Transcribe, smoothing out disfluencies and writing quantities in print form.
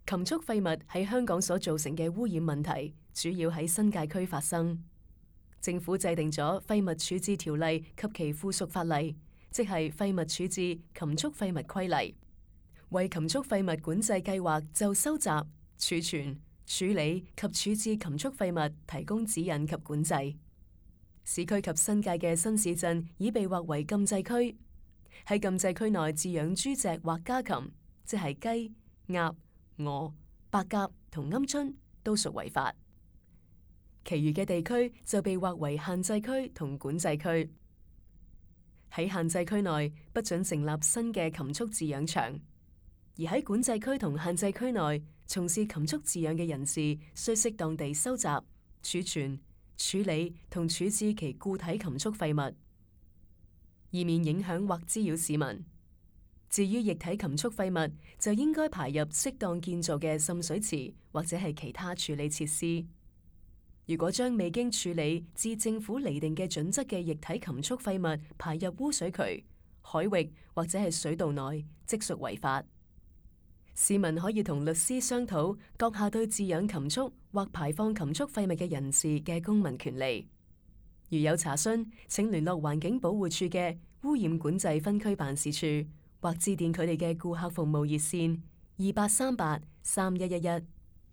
禽畜廢物喺香港所造成嘅污染問題，主要喺新界區發生。政府制定咗廢物處置條例及其附屬法例，即係廢物處置禽畜廢物規例，為禽畜廢物管制計劃就收集、儲存、處理及處置禽畜廢物提供指引及管制。市區及新界嘅新市鎮已被劃為禁制區，喺禁制區內飼養豬隻或家禽，即係雞、鴨、鵝、白鴿同鵪鶉，都屬違法。其餘嘅地區就被劃為限制區同管制區。喺限制區內不准成立新嘅禽畜飼養場，而喺管制區同限制區內從事禽畜飼養嘅人士，需適當地收集、儲存、處理同處置其固體禽畜廢物，以免影響或滋擾市民。至於液體禽畜廢物，就應該排入適當建造嘅滲水池或者係其他處理設施。如果將未經處理至政府釐定嘅準則嘅液體禽畜廢物排入污水渠、海域或者係水道內，即屬違法。市民可以同律師商討閣下對飼養禽畜或排放禽畜廢物嘅人士嘅公民權利。如有查詢，請聯絡環境保護署嘅污染管制分區辦事處，或致電佢哋嘅顧客服務熱線28383111。